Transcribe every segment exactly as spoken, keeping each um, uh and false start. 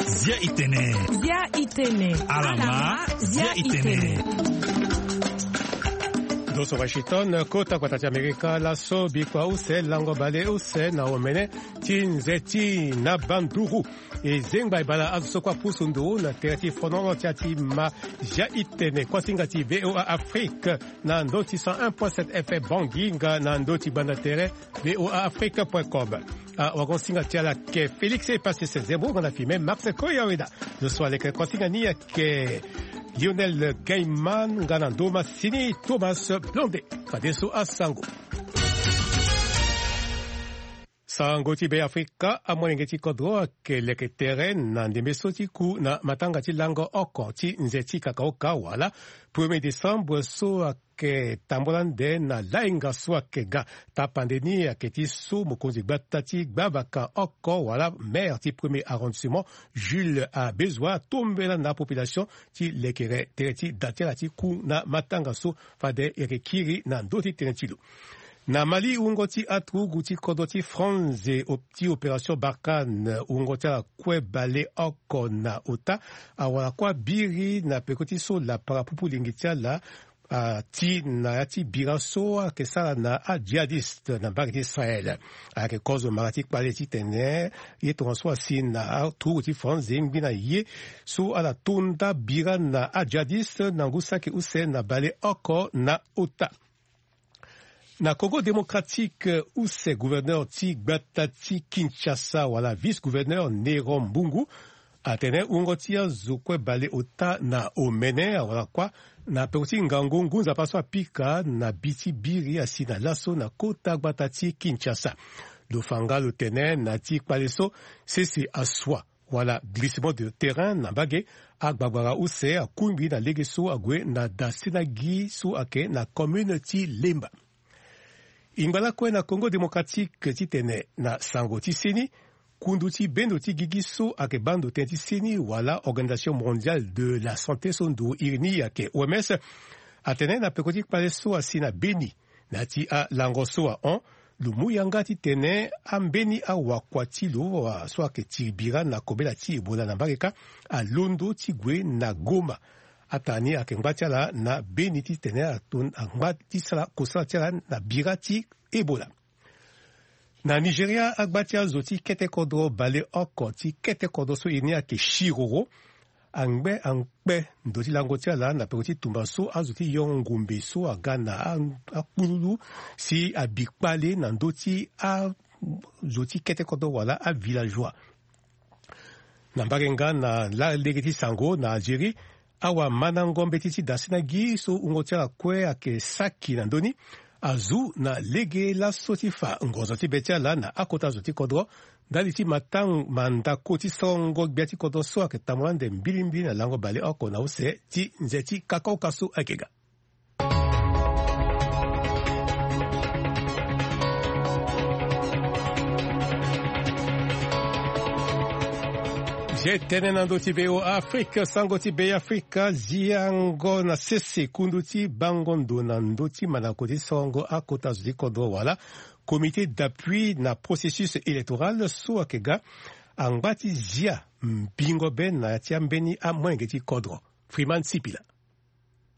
Zia itene. Zia itene. Alama, zia itene. Doso Washington, kota kota ti Amerika, laso bikua use lango bale use na omene ti nze ti na banduru. E zengba e bala azo so kue apusu nduru na tere ti fonono ti ati ma. Zia itene kuasinga ti V O A Afrique na ndo ti cent un point sept F M Bangui nga na ndo ti banda tere V O A Afrique point com. Awagosinga ti ala ke Félix Epasis Zembo nga na fime Max Koyaweda. Zo so aleke kuasinga ni ayeke Lionel Gaiman nga na ndo masini Thomas Blonde. Fadeso asango. Sango ti Beafrika, amolenge ti kodro ayeke leke tere na ndembe so ti ku na matanga ti lango oko ti nze ti kakaoka wala premier décembre so ayeke tambula nde na lainga so ayeke ga. Tapande ni ayeke ti so mokonzi gbata ti gbavaka oko wala maire ti premier arrondissement Jules Abezua atombela na population ti lekere tere ti da ti ala ti ku na matanga so fade e yeke kiri na ndö ti tënë ti lo. Na Mali, wungo ti aturugu ti kodro ti Franze op- ti opération Barkhane, wungo ti ala kue baleoko na ota awara kue abiri na peko ti so lapara pupu lingi ti ala, ah, ti na ya ti bira so ayeke sara na ajihadiste na mbage ti Israël. Ayeke kozo mara ti kpale titene ye tongaso asi na aturugu ti Franze ngbi na ye so ala to nda bira na ajihadiste na ngu saki use na baleoko na ota. Na Congo Démocratique, use gouverneur ti gbata ti Kinshasa wala vice-gouverneur Néron Mbungu atene wungo ti azo kue baleota na omene awara kuâ na peko ti ngangu ngu nzapa so apika na bi ti biri asi na laso na kota gbata ti Kinshasa. Lo fa nga lo tene na ti kpale so sese asua wala glissement de terrain na mbage, agbagbara use akungbi na lege so ague na dasenagi so ayeke na commune ti Lemba. E ngba lakue na Congo Démocratique titene na sango ti seni, kundu ti bendo ti gigi so ayeke baa ndo tënë ti seni wala Organisation Mondiale de la Santé so nduru iri ni ayeke O M S atene na peko ti kpale so asi na Beni na ya ti alango so ahon, lo mu yanga titene ambeni awakua ti lo so ayeke tiri bira na kobela ti Ebola na mbage kâ alondo ti gue na Goma. Atanga ni ayeke ngba ti ala na Beni titene ato angba ti sara kosala ti ala na bira ti Ebola. Na Nigeria, agba ti azo ti kete kodro baleoko ti kete kodro so e ni ayeke Shiroro angbe angbe ndo ti lango ti ala na peko ti tumba so azo ti yo ngombe so aga na a- akpululu si abi kpale na ndö ti azo ti kete kodro wala avillageois. Na mbage nga na la lege ti sango na Algérie, awamana ngombe ti ti dasenagi so wungo ti ala kue ayeke saki na ndö ni azu na lege laso ti fa ngonzo ti be ti ala na akota zo ti kodro ndali ti matango mandako ti sorongo gbia ti kodro so ayeke tambula nde mbilimbili na lango baleoko na use ti nze ti kakaoka so ayeke ga. Zia tënë na ndö ti V O A Afrique, sango ti Beafrika. Ziango na sese kundu ti bango ndo na ndö ti mandako ti sorongo akota zo ti kodro wala comité d'appui na processus électoral so ayeke ga angba ti zia mbingo be na ya ti ambeni amolenge ti kodro. Freeman Sipila.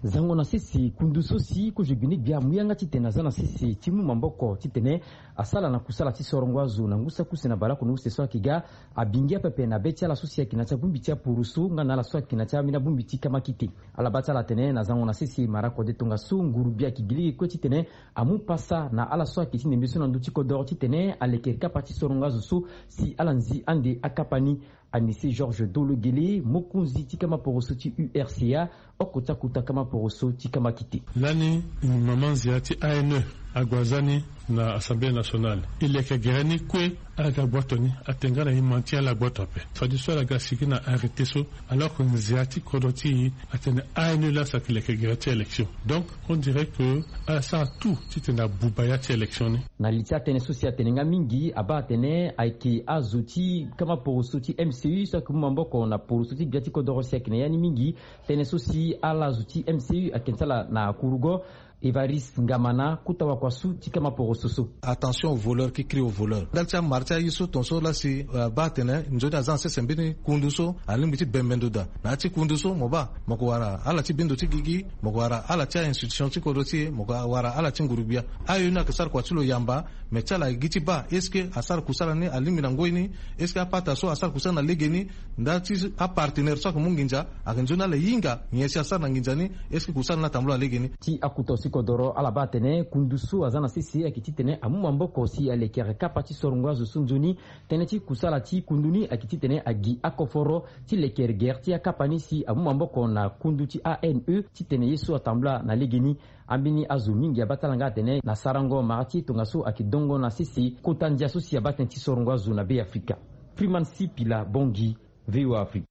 Zango na sese kundu so si kozo gbene gbia amu yanga titene aza na sese ti mu maboko titene asala na kusala ti sorongo azo na ngu saki use na baleoko na use so ayeke ga. Abingia pepe na be ti ala so si ayeke na ya ti abongbi ti aporoso nga na ala so ayeke na ya ti ambeni abongbi ti kamakite. Ala baa ti ala atene na zango na sese mara kode tongaso nguru gbia ayeke gi lege kue titene amu pasa na ala so ayeke ti ndembe so na ndö ti kodoro titene aleke kapa ti sorongo azo so si ala nzi ande akapa ni. Anissé Georges Dologele, mokonzi ti kama poroso ti U R C A, oko ti akota kama poroso ti kamakite. Lani, mama nzia ti A N E ague aza ni na Assemblée nationale. E leke gere ni kue, ala ga gboto ni, ate nga na e ma ti ala gboto ape. Fade so ala ga sigi na arrêté so, alors que nzia ti kodro ti e atene A N E laa si ayeke leke gere ti élection. Donc, on dirait que ala sara tout titene abuba ya ti élection ni. Na li ti atënë so si atene nga mingi, abaa atene ayeke azo ti kama poroso ti M C U so ayeke mu maboko na poroso ti gbia ti kodoro si ayeke na ya ni mingi. Tënë so si ala zo ti M C U ayeke sala na kurugo Evariste Ngamana, kota wakua su ti kama poroso so. Attention au voleur qui crie au voleur. Ndali ti amara ti aye so tongaso la si, eh, abaa atene nzoni aza na sese mbeni kundu so alingbi ti bembe ndo daa. Na ya ti kundu so mo baa mo ko wara ala ti bendo ti gigi, mo ko wara ala ti a-institution ti kodro ti e, mo ko wara ala ti nguru-gbia. Ayo ni ayeke sara kua ti lo yamba. Mais ti ala gi ti baa, est ce que asara kusala ni alingbi na ngoi ni? Est ce que apata so asara kusala na legeni, nda ti apartenaire so ayeke mu nginza, ayeke nzoni ala hinga nyen si asara na nginza ni? Est ce que kusala ni atambula na legeni? Ti akuta si kodoro ala baa atene kundu so aza na sese ayeke titene amu maboko si alekere kapa ti sorongo azo so nzoni. Tënë ti kusala ti kundu ni ayeke titene agi akoforo ti lekere gere ti akapa ni si amu maboko na kundu ti A N E titene ye so atambula na legeni. Ambeni azo mingi abaa ti ala nga atene na sarango mara ti e tongaso ayeke dongo na sese kota ndia so si abaa tënë ti sorongo azo na Be Afrika. Freeman Sipila Bongi, V O A Afrique.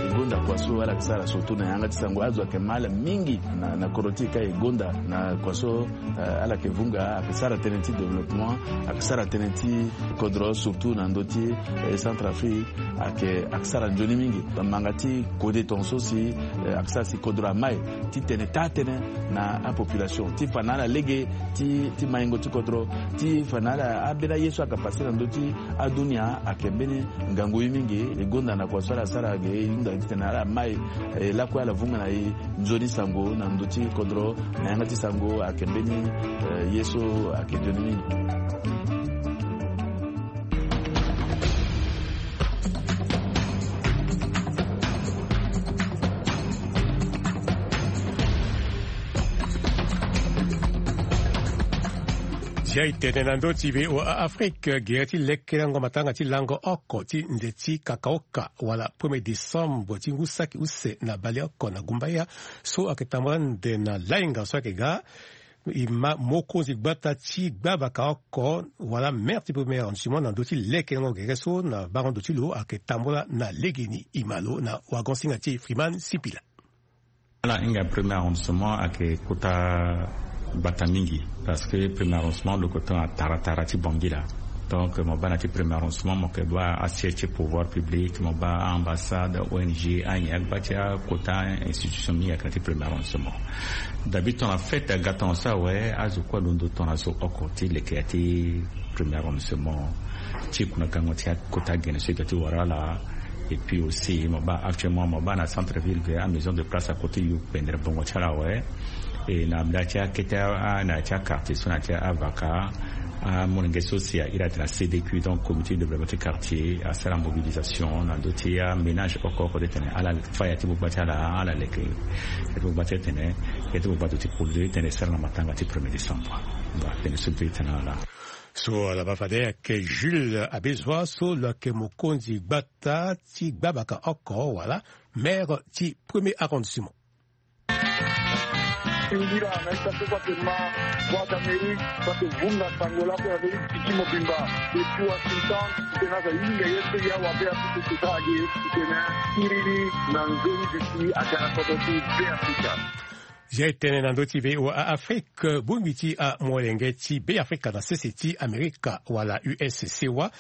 E gonda kua so ala yeke sara surtout na yanga ti sango. Azo ayeke ma ala mingi na, na kodro ti e ka e gonda na kua so, eh, ala yeke vunga, ayeke sara tënë ti développement, ayeke sara tënë ti kodro surtout na ndö ti, eh, Centrafrique. Ayeke, ayeke sara nzoni mingi. Manga ti kode tongaso si, eh, ayeke sara si kodro amai ti tene taa-tënë na apopulation ti fa na ala lege ti, ti maingo ti kodro, ti fa na ala ambeni aye so ayeke pase na ndö ti adunia. Ayeke mbeni ngangu ye mingi. E gonda na kua so ala sara ge, e hunda titene ala mai, eh, lakue ala vunga na e nzoni sango na ndö ti kodro. Na yanga ti sango ayeke mbeni, eh, ye so ayeke nzoni mingi. Zia e tene na ndö ti V O A Afrique, gere ti lekerengo matanga ti lango oko ti nze ti kakaoka wala premier décembre ti ngu saki use na baleoko na gumbaya so ayeke tambula ande na lainga so ayeke ga. E ma mokonzi gbata ti gbabaka oko wala maire ti premier arrondissement na ndö ti lekerengo gere so na bango ndo ti lo ayeke tambula na legeni. E ma lo na wagon-singa ti e Freeman Sipila. Ala hinga premier arrondissement ayeke kota gbata mingi, parce que premier arrondissement lo yeke tongana tara tara ti Bangui laa. Donc mo baa na ya ti premier arrondissement mo yeke baa asiège ti pouvoir public, mo baa a-ambassade, O N G, anyen, agba ti akota institution mingi ayeke na ya ti premier arrondissement. Dabi tongana fête aga tongaso awe, azo kue alondo tongana zo oko ti leke ya ti premier arrondissement ti kundagango ti akota gene so e ga ti wara ala. Et puis aussi mo baa actuellement mo baa na centre ville ve, amaison de place akote yo pendere bongo ti ala awe. E na nda ti akete a, na ya ti aquartier so na ya ti avaka, amolenge so si a iri atene a C D Q, donc comité de développement ti quartier, asara mobilisation na ndö ti aménage oko oko ti tene ala fa ya ti bogba ti ala, ala leke ya ti bogba ti tene, ya ti bogba ti produit ti tene e sara na matanga ti premier décembre. Voilà, tene so mbi tene ala. So ala baa fade ayeke Jules Abezua so lo yeke mokonzi gbata ti gbabaka oko wala maire ti premier arrondissement. Ngira na ita so so ake ma Voix d'Amérique so ake vunga sango lako ya Amérique ti mobimba. Depuis Washington, titene aza hinga ye so ya wabe apusu ti sara ge, titene iri ni na nzoni duti aga na kodro ti Be Afrika. Zia e tene na ndö ti V O A Afrique, bongbi ti amolenge ti Be Afrika na sese ti Amerika wala U S C wa,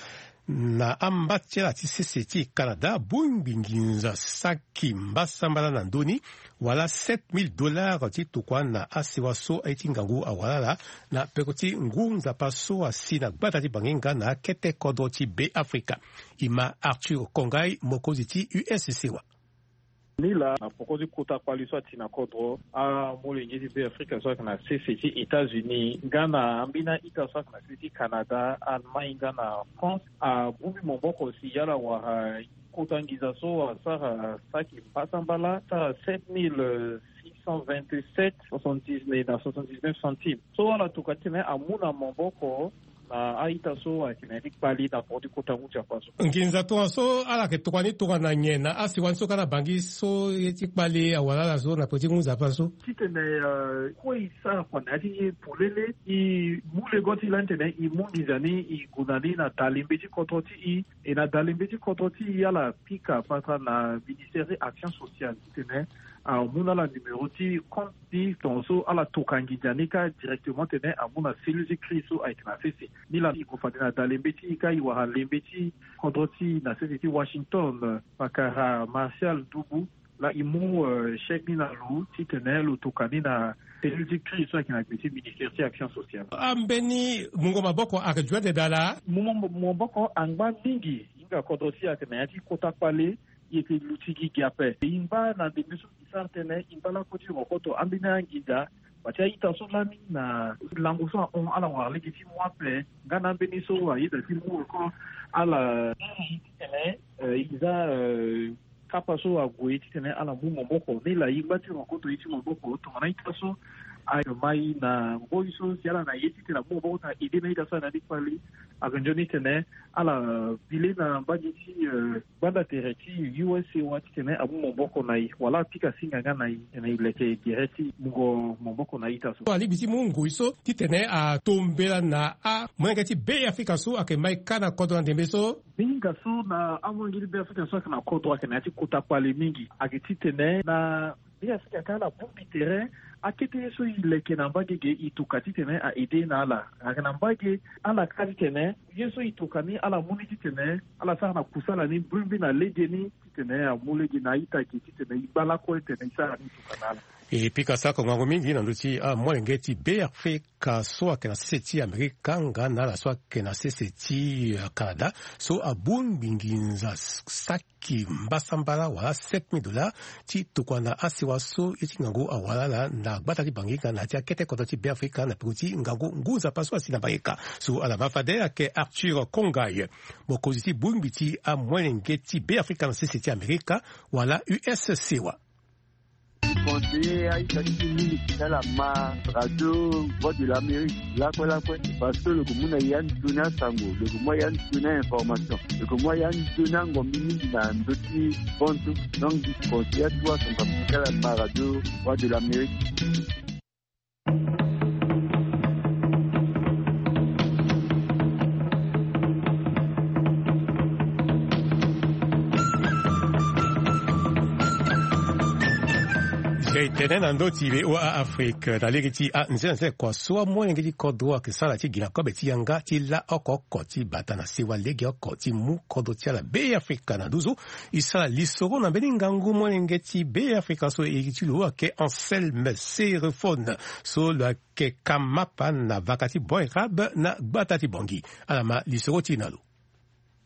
na amba ti ala ti sese ti Canada, bongbi nginza saki mbasambala na ndö ni, wala sept mille dollars ti tokua na asewa so aye ti ngangu awara ala na peko ti ngu nzapa so asi na gbata ti Bangi nga na akete kodro ti Be Afrika. E ma Arthur Kongai, mokonzi ti U S C wa. Ni laa na poko ti kota kpali so ati na kodro, amolenge ti Be Afrika so ayeke na sese ti États-Unis nga na ambeni a-ita so ayeke na sese ti Canada, Allemagne nga na France, abongbi maboko si ala wara kota nginza so asara saki mbasambala, asara sept mille six cent vingt-sept soixante-dix-neuf na soixante-dix-neuf centimes. So ala tokua titene amu na maboko na a-ita so ayeke na ya ti kpali na poko ti kota ngu nzapa so. Nginza tongaso ala yeke tokua ni tongana nyen na asewa ni so ka na Bangi so ye ti kpali awara ala so na peko ti ngu nzapa so? Titene, eh, kue e sara kua na ya ti e polele, e mu lego ti e lani titene e mu nginza ni e gue na ni na dalembe ti kodro ti e. E na dalembe ti kodro ti e ala pika patara na ministère ti action sociale titene amu na ala numéro ti compte ti tongaso ala tokua nginza ni kâ directement titene amu na cellule ti crise so ayeke na sese. Ni laa e gue fade na dalembe ti e kâ e wara lembe ti kodro ti e na sese ti Washington, pakara Martial Ndubu, Laa e mu chèque ni na lo titene lo toka ni na cellule ti crise so ayeke na gbe ti ministère ti action sociale. Ambeni mungo maboko ayeke ju ande daa laa? Mungo maboko angba mingi. Hinga kodro ti e ayeke na ya ti kota kpale. E yeke luti gi gi ape. E ngba na ndembe so e sara tënë, e ngba lakue ti rokoto ambeni anginza. Bati a-ita so lani na lango so ahon ala wara lege ti mu ape. Nga na ambeni so ayeda ti mu encore ala tene e za kapa so ague titene ala mu maboko ni laa. E ngba ti rokoto ye ti maboko tongana a-ita so ayeke mai na mboi so si ala na ye titene amu maboko titene a-ede na a-ita so ayeke na ni kpale. Ayeke nzoni titene ala bi le na mbage ti gbanda tere ti U S A wa titene amu maboko na e wala apika singa nga na e titene e leke gere ti mungo maboko na a-ita so. Alingbi ti mu ngoi so titene ato mbela na amolenge ti Beafrika so ayeke mai kâ na kodro na ndembe so. Mingi so na amolenge ti Beafrika so ayeke na kodro ayeke na ya ti kota kpale mingi. Ayeke titene na Beafrika kâ ala bongbi tere. Akete ye so e leke na mbage ge e toka titene a-ede na ala. Ayeke na mbage ala kâ titene ye so e toka ni ala mu ni titene ala sara na kusala ni mbirimbiri na legeni titene amu lege na a-ita ge titene e ngba lakue titene e sara ni e toka na ala. E pika sako ngangu mingi na ndö ti amolenge ti Beafrika so ayeke na sese ti Amerika nga na ala so ayeke na sese ti Canada so abongbi nginza saki mbasambala wala sept mille dollars ti tokua na asewa so ye ti ngangu awara ala na gbata ti Bangi nga na ya ti akete kodro ti Beafrika na peko ti ngangu ngu nzapa so asi na Amerika. So ala ma fade ayeke Arthur Kongay, mokonzi ti bongbi ti amolenge ti Beafrika na sese ti Amerika wala U S A wa. Conseiller a-ita ti mingi ti ala ma radio Voix de l'Amérique lakue lakue, parce que lo yeke mu na e ya nzoni asango, lo yeke mu a ya nzoni a-information, lo yeke mu a ya nzoni angombi mingi na ndö ti bantu. Donc mbi conseiller atuwa asango ti ala ma radio Voix de l'Amérique. Zia e tene na ndö ti V O A Afrique na lege ti anzenanze kua so amolenge ti kodro ayeke sara ti gi na kobe ti yanga ti la oko oko ti bata na sewa legeoko ti mu kodro ti ala Beafrika na nduzu. E sara lisoro na mbeni ngangu molenge ti Beafrika so iri ti lo ayeke Anselme Serefone so lo yeke kamapa na vaka ti Bon Érable na gbata ti Bangi. Ala ma lisoro ti e na lo.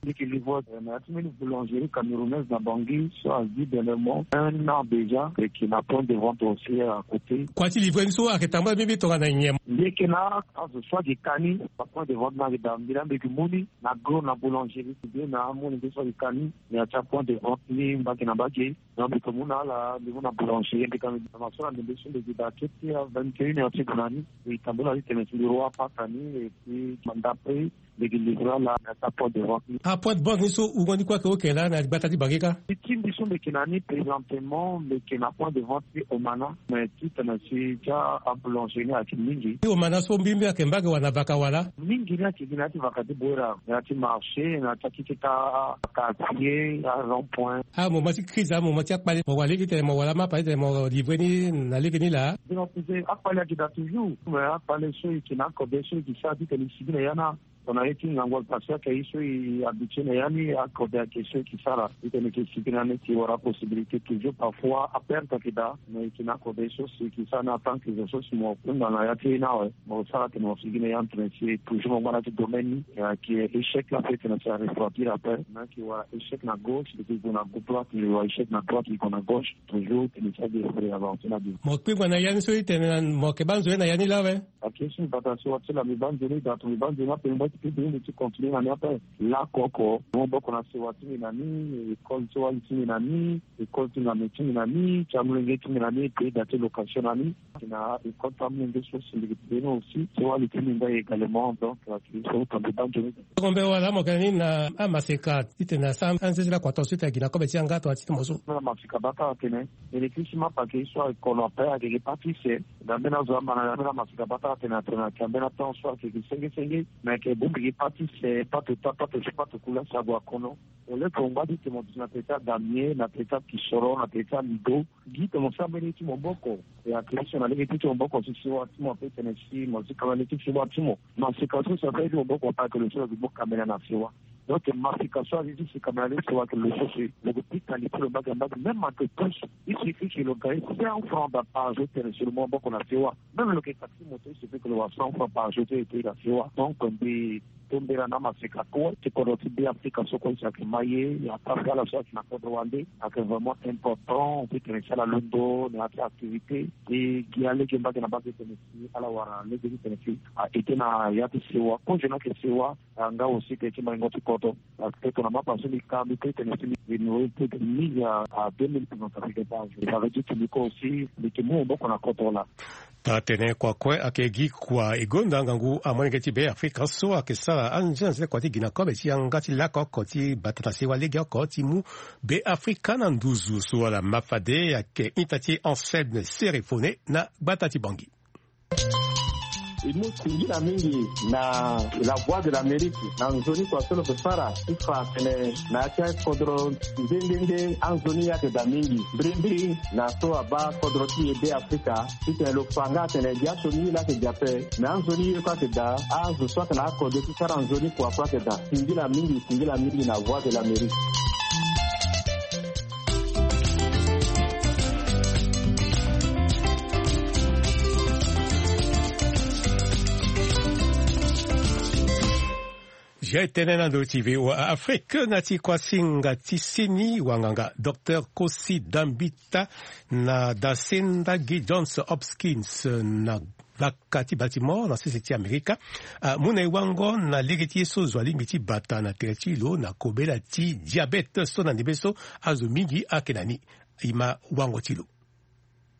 Mbi yeke livre na ya ti mbeni boulangerie camerounaise na Bangi so azi dernièrement un an déjà, e yeke na point de vente aussi à côté. Kua ti livre ni so ayeke tambula mbeni tongana nyen? Mbi yeke na azo so ayeke ka ni, apoint de vente ni ayeke daa, mbi laa mbi yeke mu ni na gros na boulangerie ti mbi na amolenge so ayeke ka ni. Na ya ti apoint de vente ni mbage na mbage. Donc mbi yeke mu na ala, mbi mu na boulangerie, mbi ka mbi na masoro na ndembe so mbi yeke daa kete a vingt et une heures ti gue na ni. Mbi tambula titene si mbi roi apata ni et puis ndape mbi yeke livre ala na ya ti apoint de vente ni. Apoint de vente ni so wungo ni kue ayeke oke laa na gbata ti Bangi kâ? Ti mbi so mbi yeke na ni présentement mbi yeke na point de vente ti Omana. Mais titene si ti aboulangerie ni ayeke mingi. Ti Omana so mbirimbiri ayeke mbage wala na vaka wala? Mingi ni ayeke gi na ya ti vaka ti Bouera, na ya ti marché, na ya ti akete ti quartier, arond point. Amoment ti crise, amoment ti akpale, mo wara lege titene mo wara mapa titene mo livre ni na lege ni laa? Mbi na kuze akpale ayeke daa toujours, mais akpale so e yeke na akode so e yeke sara titene e sigi na ya ni. Tongana ye ti ngangu ayeke passé ayeke ye so e habitué na ya ni, akode ayeke so e yeke sara titene e yeke sigi na ni, e yeke wara possibilité toujours. Parfois aperte ayeke daa, mais e yeke na akode so si e yeke sara ni en tant que zo so si mo kunda na ya ti e ni awe. Mo sara tene mo sigi na ya titene si toujours mo ngba na ya ti domaine ni. Ayeke échec la ape titene si a refroidir ape. Mo yeke wara échec na gauche, e yeke gue na droite, e wara échec na droite, e gue na gauche toujours titene si a gi e avancer na devant. Mo kpingba na ya ni so e tene mo yeke baa nzoni na ya ni laa awe? Ayeke so mbi bata na sewa ti laa mbi baa nzoni daa, tongana mbi baa nzoni ape mbi baa ti kpingba ni mbi ti continuer na ni ape. Laoko oko, maboko na sewa ti mbi na ni, école ti wali ti mbi na ni, école ti ngame ti mbi na ni, ti amolenge ti mbi na ni, e pe daa ti location na ni. Na école ti amolenge so si mbi yeke pe ni aussi ti wali ti mbi ndai également. Donc ayeke so tongana mbi baa nzoni. Tongombe wala mo yeke na ni na amaseka titene asara anzezi lakua tongaso titene a gi na kobe ti yanga tongana ti ti mo so? Na maseka baa ti atene électricité mapa ayeke ye so ayeke kono ape, ayeke gi pâtisserie. Na mbeni azo ama na ya mbeni amaseka baa ti atene atene ayeke na mbeni atemps so ayeke gi senge senge. Mais ayeke bongbi gi pâtisserie, pato ta, pato ti, pato kula si ague akono. Au lieu que mo ngba ti tene mo duti na tere ti adamie, na tere ti akisoro, na tere ti alido, gi tene mo sara mbeni ye ti maboko. E ayeke ye so na lege ti ti maboko si sewa ti mo ape tene si mo ti kanga lege ti sewa ti mo. Maseka so si ape ye ti maboko ape ayeke lo so lo yeke mu kamera na sewa. Donc mafika so azi ti sika na le sewa ayeke lo so si lo ke pika li ti lo mbage mbage, même ayeke plus. Il suffit que lo gagne cent francs par jour tene si lo mu maboko na sewa. Même lo yeke taxi moto, il suffit que lo wa cent francs par jour ti e ti na sewa. Donc mbi tombela na maseka kue ti kodro ti Be Afrika so kue si ayeke ma ye, ya ta ala so ayeke na kodro wande. Ayeke vraiment important ti tene si ala londo na ya ti activité ti gi alege mbage na mbage tene si ala wara lege ti tene si a ete na ya ti sewa. Kozo ni ayeke sewa. Nga aussi tene ti maingo ti kodro. Parce que tongana mapa so mbi ka mbi pe tene si mbi nourrir plus de mille à deux mille personnes africaines par jour. Ça veut dire que mbi ko aussi mbi yeke mu maboko na kodro laa. Taa-tënë kua kue ayeke gi kua e gonda ngangu amolenge ti Be Afrika so ayeke sara anze anze kua ti gi na kobe ti yanga ti lako oko ti bata na sewa lege oko ti mu Be Afrika na nduzu so ala ma fade. Ayeke ita ti Anselme Serefone na gbata ti Bangui. E mu singila mingi na La Voix de l'Amérique na nzoni kua so lo yeke sara ti fa atene na ya ti akodro nde nde nde anzoni ye ayeke daa mingi mbirimbiri na so abaa kodro ti e Be Afrika. Titene lo fa nga atene gi asioni ye laa ayeke gi ape. Me anzoni ye kue ayeke daa, azo so ayeke na akode ti sara nzoni kua kue ayeke daa. Singila mingi, singila mingi na Voix de l'Amérique. Zia e tënë na ndö ti V O A Afrique na ti kuasinga ti seni wanganga, Docteur Kosi Dambita na Dasenda gi Johns Hopkins na gbaka ti Baltimore na sese ti Amerika, amu na e wango na lege ti ye so zo alingbi ti bata na tere ti lo na kobela ti diabète so na ndembe so azo mingi ayeke na ni. E ma wango ti lo.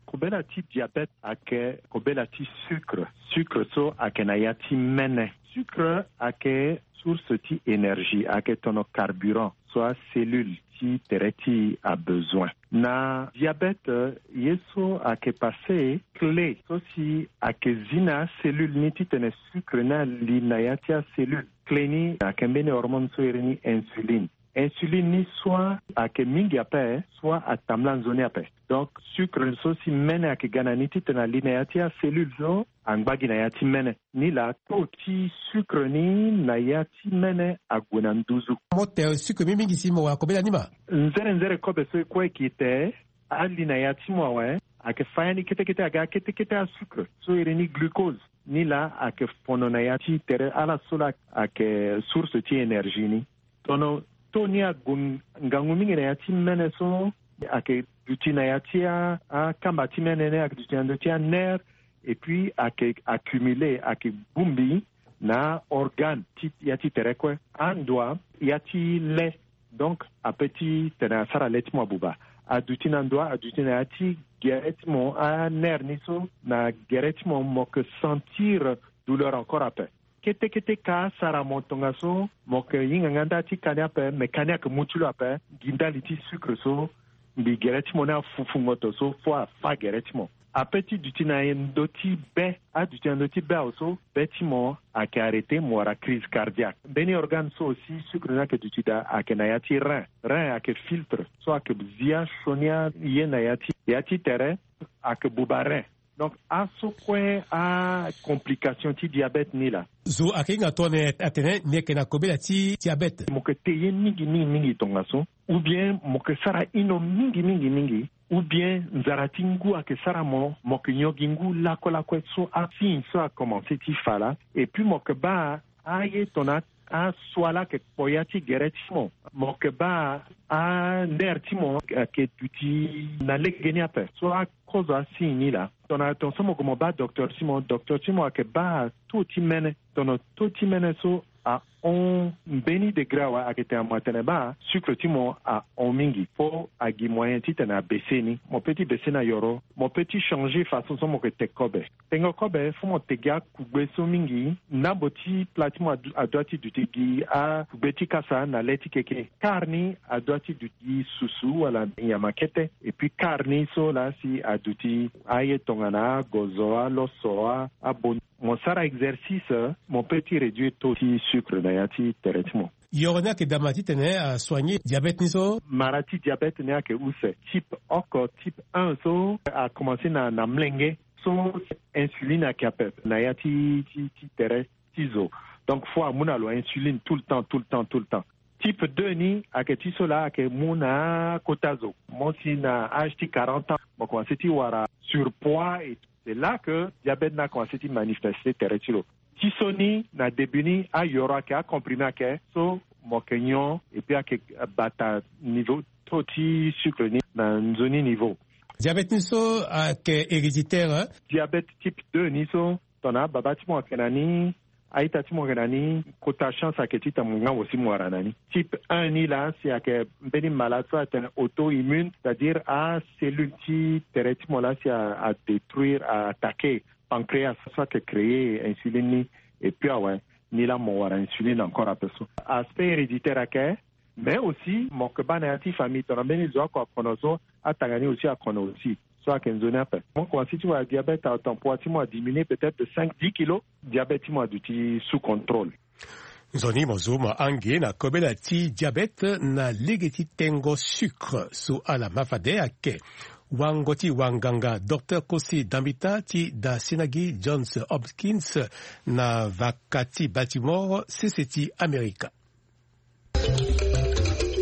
Kobela ti diabète ayeke kobela ti sucre. Sucre so ayeke na ya ti mene. Sucre ayeke source ti énergie, ayeke tono carburant so acellule ti tere ti e abezoin. Na diabète, ye so ayeke pase, clé so si ayeke zi na acellule ni titene sucre ni ali na ya ti acellule. Clé ni ayeke mbeni hormone so iri ni insuline. Insuline ni soit ayeke mingi ape, soit atambula nzoni ape. Donc sucre so si mene ayeke ga na ni titene ali na ya ti acellule so angba gi na ya ti mene. Nilaa taux ti sucre ni na ya ti mene ague na nduzu. Mo te sucre mingi mingi si mo wara kobela ni ma. Nzere nzere kobe so e kue e ke te, ali na ya ti mo awe, ayeke fa ya ni kete kete aga kete kete asucre so iri ni glucose. Nilaa ayeke fono na ya ti tere ala so laa ayeke source ti énergie ni. Tono taux ni ague ngangu mingi na ya ti mene so ayeke duti na ya ti a, akamba ti mene ni ayeke duti na ndö ti anerf, et puis ayeke accumulé, ayeke bongbi na aorgane ti ya ti tere kue. Andua ya ti le, donc ape ti tene asara le ti mo abuba. Aduti na ndua, aduti na ya ti gere ti mo, anerf ni so na gere ti mo, mo yeke sentir douleur encore ape. Kete kete ka asara mo tongaso mo yeke hinga nga nda ti ka ni ape, me ka ni ayeke mu ti lo ape. Gi ndali ti sucre so mbi gere ti mo ni afufu ngoto so fo afa gere ti mo. Ape ti duti na ndö ti be, aduti na ndö ti be awe so be ti mo ayeke arrêté, mo wara crise cardiaque. Mbeni organe so aussi sucre ni ayeke duti daa ayeke na ya ti rein. Rein ayeke filtre so ayeke zi asioni aye na ya ti, ya ti tere, ayeke buba rein. Donc aso kue acomplication ti diabète ni laa. Zo ayeke hinga tongana atene ni yeke na kobela ti diabète. Mo yeke te ye mingi mingi mingi tongaso, ou bien mo yeke sara hino mingi mingi mingi, ou bien nzara ti ngu ayeke sara mo, mo yeke nyon gi ngu lakue lakue. So asigne so akomanse ti fa laa. Et puis mo yeke baa aye tongana aso ala yeke kpo ya ti gere ti mo. Mo yeke baa anerf ti mo ayeke duti na lege ni ape. So akozo asigne ni laa. Tongana tongaso mo gue mo baa docteur ti mo, docteur ti mo ayeke baa taux ti mene. Tongana taux ti mene so ahon mbeni degré awe, ayeke tene mo atene baa sucre ti mo ahon mingi, fo agi moyen titene abaisse ni. Mo peut ti baisse na yoro, mo peut ti changer façon so mo yeke te kobe. Tengo kobe, fo mo te gi akugbe so mingi. Ndambo ti pla ti mo adu-, adua ti duti gi akugbe ti kasa na le ti keke. Quart ni adua ti duti gi susu wala nyama kete. Et puis quart ni so laa si aduti aye tongana agozo, aloso, a, abon. Mo sara exercice, mo peut ti réduire taux ti sucre na ya ti tere ti mo. Yoro ni ayeke daa ma titene asoigner diabète ni so? Mara ti diabète ni ayeke use. Type oko, type un so akomanse na, na molenge. So insuline ayeke ape na ya ti, ti, ti tere ti zo. Donc fo amu na lo insuline tout le temps, tout le temps, tout le temps. Type deux ni ayeke ti so laa ayeke mu na akota zo. Mo si na âge ti quarante ans mo komanse ti wara surpoids et c'est là que diabète ni akomanse ti manifeste tere ti lo. Ti so ni na début ni ayoro ayeke, acomprimé ayeke so mo yeke nyon et puis ayeke bata niveau taux ti sucre ni na nzoni niveau. Diabète ni so ayeke héréditaire. Diabète type deux ni so tongana ababa ti mo ayeke na ni, a-ita ti mo ayeke na ni, kota chance ayeke ti tene mo ngangu si mo wara na ni. Type un ni laa si ayeke mbeni malade so atene auto-immune, c'est-à-dire acellule ti tere ti mo laa si a, a détruire, a attaquer pancréas so ayeke créer insuline ni. Et puis awe, ni laa mo wara insuline encore ape so. Aspect héréditaire ayeke. Mais aussi mo yeke baa na ya ti famille tongana mbeni zo oko akono so, atanga ni aussi akono aussi. So ayeke nzoni ape. Mo komanse ti wara diabète, atanpoi ti mo adiminué peut-être de cinq, dix kilos. Diabète ti mo aduti sous contrôle. Nzoni mo zo mo ange na kobela ti diabète na lege ti tengo sucre so ala ma fade ayeke wango ti wanganga docteur Kosi Dambita ti da sinagi Johns Hopkins na vaka ti Baltimore, sese ti Amerika.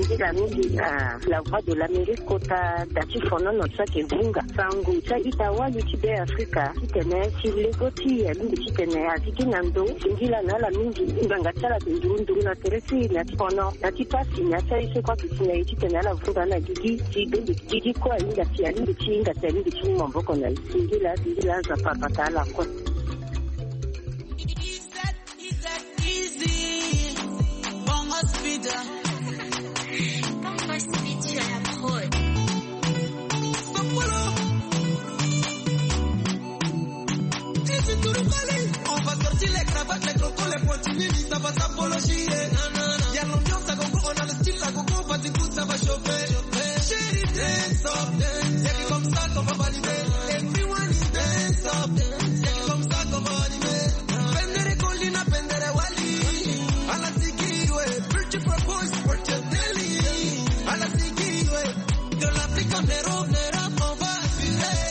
Nzila mingi na La Voix de l'Amérique kota da ti fonono so ayeke vunga sango ti a-ita wali ti Be Afrika titene si lego ti e mingi titene azi gi na ndo. Singila na ala mingi ngbanga ti ala ayeke nduru nduru na tere ti e na ti fono na ti pasi na ti aye so kue ayeke si na e titene ala vunga na gigi ti be mbi gigi kue ahinga si alingi ti hinga si alingi ti mu maboko na e. Singila singila Nzapa abata ala kue. Easy. Bongo Speed. Bongo Speed sur la prod. Sopolo. Easy to the valley. On va sortir les cravates, les crocos, les pointilles, ça va s'apologier. Il y a l'ambiance à gogo, on a le style à gogo, vas-y, tout ça va chauffer. Chérie, dance up, dance. Y a que comme ça qu'on va valider. Everyone is dance up, dance. Y a que comme ça qu'on va valider. Pendere Colina, pendere Wali. Ala sigi we, pretty for boys, what you telling? Ala sigi we, de l'Afrique en Europe, Europe, on va assurer.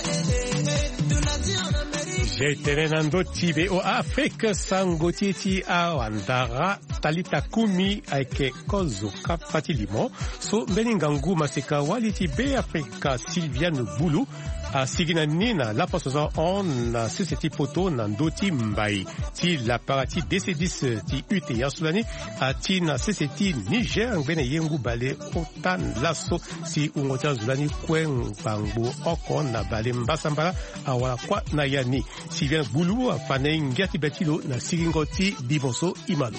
De l'Asie en Amérique. J'ai tene na ndo ti V O A Afrique, sango ti e ti awandara. Talita Kumi ayeke kozo kapa ti limo so mbeni ngangu maseka wali ti Be Afrika Sylviane Bulu asigi na ni na laposo so ahon na sese ti poto na ndö ti mbai ti lapara ti D C dix ti U T A so lani ati na sese ti Niger ngbene ye ngu bale ota laso si wungo ti azo lani kue ngbangbo oko na bale mbasambala awara kuâ na ya ni. Sylviane Bulu afa na e ngia ti be ti lo na sigingo ti limo so e ma lo.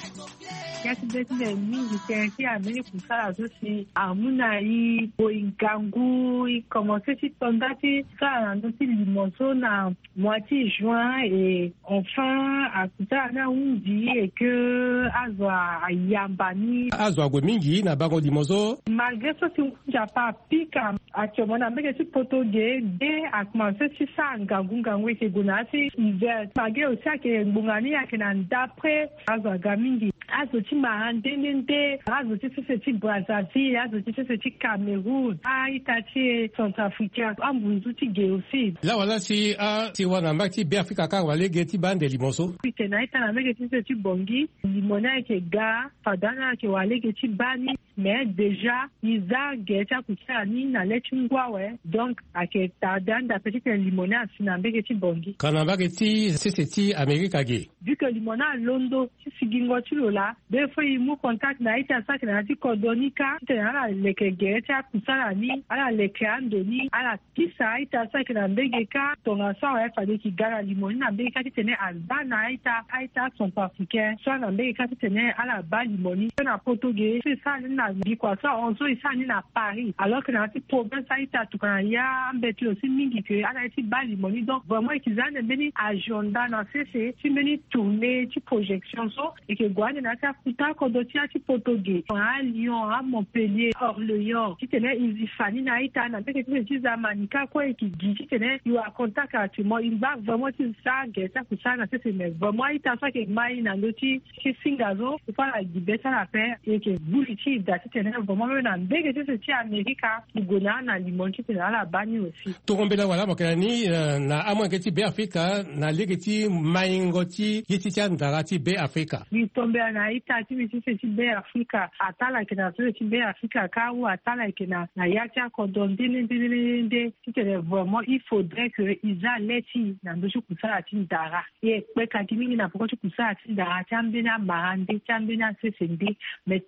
Ngia ti be ti mbi mingi tënë ti ambeni kusala so si amu na e boi ngangu e komanse ti to nda ti sara na ndö ti limo so na mois ti juin et enfin akusala ni ahunzi et que azo ayamba ni. Azo ague mingi na bango limo so. Malgré so si hunzi ape apika. Actuellement na mbege ti poto ge de akomanse ti sara ngangu ngangu e yeke gue na ya ti hiver. Mage aussi ayeke ngbonga ni ayeke na ndapre. Azo aga mingi. Azo ti mara nde nde nde. Azo ti sese ti Brazzaville, azo ti sese ti Cameroun, a-ita ti e Centrafricain, ambunzu ti ge aussi. Lawala si a si wara na mbage ti Beafrika kâ wala lege ti baa ande limo so. Titene a-ita na mbege ti sese ti Bangui limo ni ayeke ga. Fade ani ayeke wara lege ti baa ni. Mais déjà e za gere ti akusala ni na le ti ngu awe. Donc ayeke tarde ande ape titene limo ni asi na mbege ti Bangui. Ka na mbage ti sese ti Amerika ge. Vu que limo ni alondo ti sigingo ti lo laa, be fo e mu contact na a-ita so ayeke na ya ti kodro ni kâ titene ala leke gere ti akusala ni, ala leke ando ni, ala kisa a-ita so ayeke na mbege kâ. Tongaso awe fade e yeke ga na limo ni na mbege kâ titene abaa na a-ita, a-ita acentrafricain so ala na mbege kâ titene ala baa limo ni. So na poto ge so e sara ni na mbi kua so ahon so e sara ni na Paris, alors que na ya ti province a-ita tokua na ya ambeti lo si mingi ke ala ye ti baa limo ni. Donc vraiment e yeke za ande mbeni agenda na sese ti mbeni tournée ti projection so. E yeke gue ande na ya ti akuta kodro ti ya ti poto ge tongana a-Lyon, a-Montpellier, Orléans titene e zi fa ni na a-ita na mbege ti sese ti Zamanika kue e yeke gi titene e wara contact actuellement e ngba vraiment ti sara gere ti akusala na sese. Mais vraiment a-ita so ayeke ma e na ndö ti ti singa so e fa ala gi be ti ala ape. E yeke gbu li ti e daa titene vraiment même na mbege ti sese ti Amerika e gue na ala na limo ni titene ala baa ni aussi. Toro mbela wala mo yeke na ni eh, na amolenge ti Beafrika na lege ti maingo ti Ye ti ti andara ti Be Afrika. Mbi tombela na ita ti mbi sese ti Be Afrika. Atala ayeke na sese ti Be Afrika kâ ou atala ayeke na, na ya ti akodro nde nde nde nde nde. Titene vraiment il faudrait que e za le ti e na ndö ti kusala ti ndara. E kpeka gi mingi na peko ti kusala ti ndara ti ambeni amara nde ti ambeni asese nde. Mais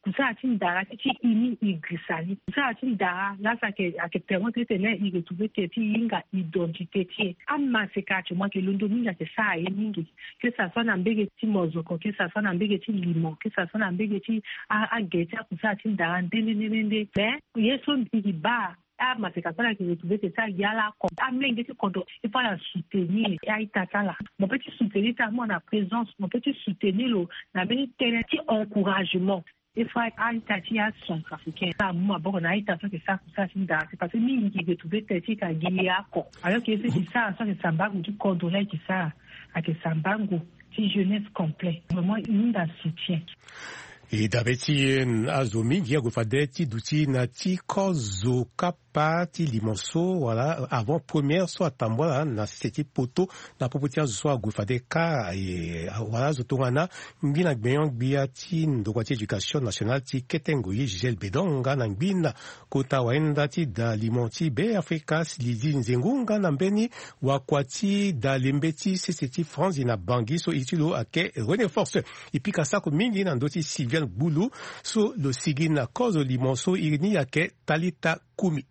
kusala ti ndara ti ti e ni e girisa ni. Kusala ti ndara laa so ayeke, ayeke permettre titene e retrouver terê ti e, e hinga identité ti e. Amaseka ati mo ayeke londo mingi ayeke sara ye mingi. Que ça soit na mbege ti mozoko, que ça soit na mbege ti limo, que ça soit na mbege ti a, agere ti akusala ti ndara nde nde nde nde. Mais ye so mbi baa amaseka so ala yeke retrouver terê ti ala, ala ako amolenge ti kodro. Il faut ala soutenir a-ita ti ala. Mo peut ti soutenir ti ala mo na présence, mo peut ti soutenir lo na mbeni tënë ti encouragement. Il faut a-ita ti acentrafricain ala mu maboko na a-ita so ayeke sara kusala ti ndara ti, parce que mingi yeke retrouver terê ti e ka gi ye oko. Alors que ye so e yeke sara so ayeke sambango ti kodro laa e yeke sara, ayeke sambango ti jeunesse complet. Vraiment e hunda soutien. E dabe ti e, azo mingi ague fade ti duti na ti kozo kapa ti limo so wala avant première so atambula na sese ti poto na popo ti azo so ague fade kâ. E wala azo tongana ngbina gbenyo-gbia ti ndokua ti éducation nationale ti kete ngoi, Gisèle Bedon, nga na ngbina kota wahinda ti da limo ti Be Afrika, Lydie Nzengu, nga na mbeni wakua ti da lembe ti sese ti Franzi na Bangui so iri ti lo ayeke René Force. E pika sako mingi na ndö ti Sylviane Gbulu so lo sigi na kozo limo so iri ni ayeke Talita Kumi.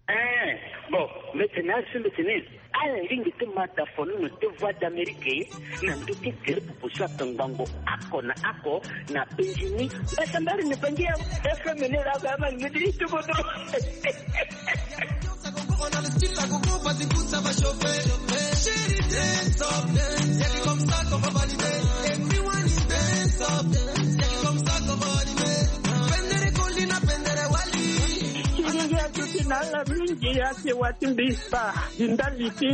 Eh, bon, mbi tene asi mbi tene ala lingbi ti ma da fonono ti Voix d'Amérique na ndö ti gere popo so atongbango oko na oko na penzi ni. Mbasa mbari na Bangui awe. F M ni la ba ma ni di tuko do. Ti ngingi atuti na ala mingi, ake wa ti mbi spa, di ndali ti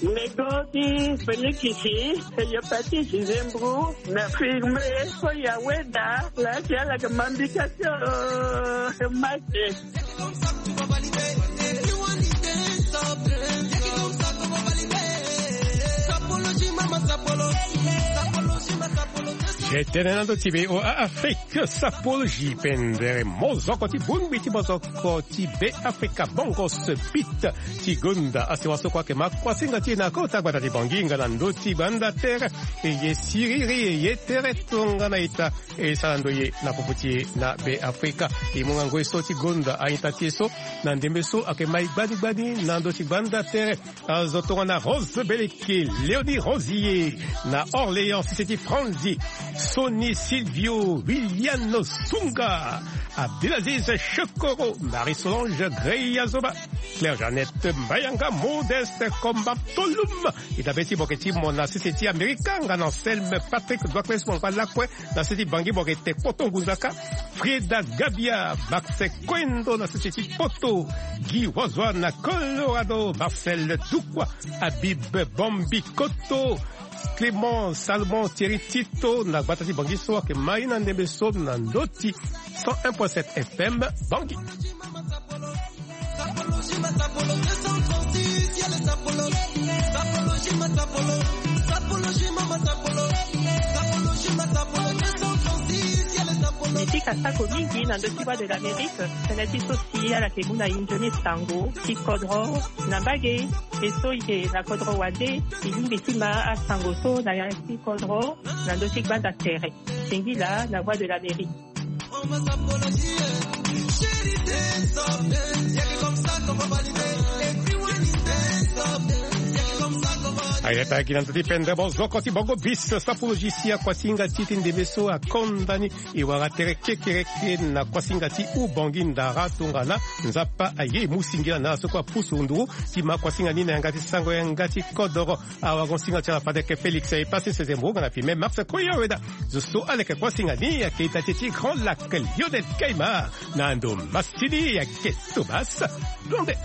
nego ti pelikisi, hépatite, zembu, na firme, so ya weda, la ti ala ke mambika ti, oh, mate. Ye tene na ndö ti V O A Afrique, Sapologie, pendere mozoko ti bongbi ti mozoko ti Be Afrika, Bongos Beat, ti gonda asewa so kue ayeke ma kuasinga ti e na kota gbata ti Bangui nga na ndö ti gbanda tere. E ye siriri, e ye tere tongana ita. E sara ndo ye na popo ti e na Be Afrika. E mu nga ngoi so ti gonda a-ita ti e so na ndembe so ayeke ma e gbani gbani na ndö ti gbanda tere. Azo tongana Rose Beleke, Léonie Rosier, na Orléans, sese ti Franzi, Sony Silvio, Wiliano Sunga, Abdelaziz Chokoro, Marie-Solange Greya Zoba, Claire Jeannette Mbayanga, Modeste Komba Tolum, e dabe ti boke ti mo na sese ti Amerika nga na Anselme Patrick Doakpes, mo ngba lakue na sese ti Bangui, mo yeke te kpoto ngunzaka, Frieda Gabia, Max Koendo na sese ti Poto, Guy Wazwa na Colorado, Marcel Dukwa, Habib Bombi Koto, Clément Salomon Thierry Tito na gbata ti Bangui so ayeke ma e na ndembe so na ndö ti cent un point sept F M Bangui. Mbi pika sako mingi na ndö ti Voix de l'Amérique, tënë ti so si ala yeke mu na e nzoni sango ti kodro na mbage. E so e yeke na kodro wande, e lingbi ti ma asango so na ya ti kodro na ndö ti gbanda tere. Singila na Voix de l'Amérique. Ayeke agi na ndö ti pendere mozoko ti bongo bis, Sapologie si akuasinga ti e ti ndembe so akonda ni. E wara tere kekereke na kuasinga ti Ubangui Ndara tongana Nzapa aye e mu singila na ala so kue apusu nduru ti ma kuasinga ni na yanga ti sango yanga ti kodoro. Awarango-singa ti ala fade ayeke Félix Epassi Sezembo nga na filme Max Koya Weda. Zo so ala yeke kuasinga ni ayeke ita ti e ti Grand Lac, Lionel Kaima, na ndo masini ayeke Thomas Blonde.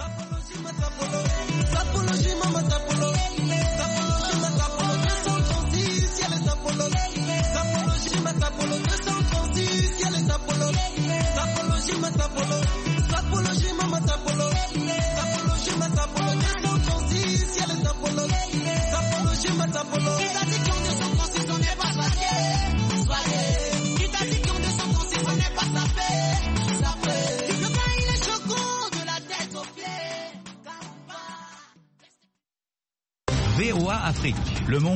Afrique, le monde.